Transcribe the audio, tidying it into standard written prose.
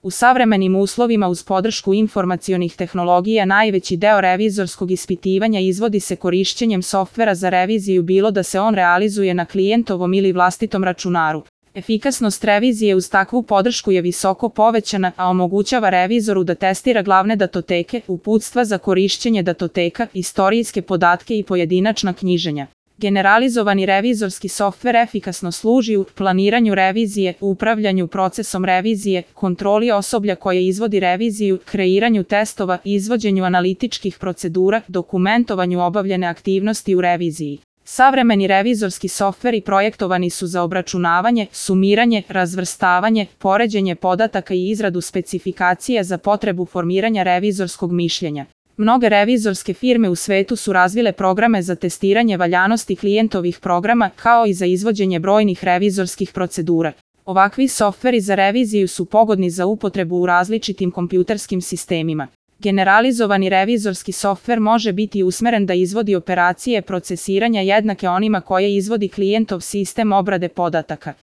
U savremenim uslovima uz podršku informacionih tehnologija najveći deo revizorskog ispitivanja izvodi se korišćenjem softvera za reviziju, bilo da se on realizuje na klijentovom ili vlastitom računaru. Efikasnost revizije uz takvu podršku je visoko povećana, a omogućava revizoru da testira glavne datoteke, uputstva za korišćenje datoteka, istorijske podatke i pojedinačna knjiženja. Generalizovani revizorski softver efikasno služi u planiranju revizije, upravljanju procesom revizije, kontroli osoblja koje izvodi reviziju, kreiranju testova, izvođenju analitičkih procedura, dokumentovanju obavljene aktivnosti u reviziji. Savremeni revizorski softveri projektovani su za obračunavanje, sumiranje, razvrstavanje, poređenje podataka i izradu specifikacija za potrebu formiranja revizorskog mišljenja. Mnoge revizorske firme u svetu su razvile programe za testiranje valjanosti klijentovih programa, kao i za izvođenje brojnih revizorskih procedura. Ovakvi softveri za reviziju su pogodni za upotrebu u različitim kompjuterskim sistemima. Generalizovani revizorski softver može biti usmeren da izvodi operacije procesiranja jednake onima koje izvodi klijentov sistem obrade podataka.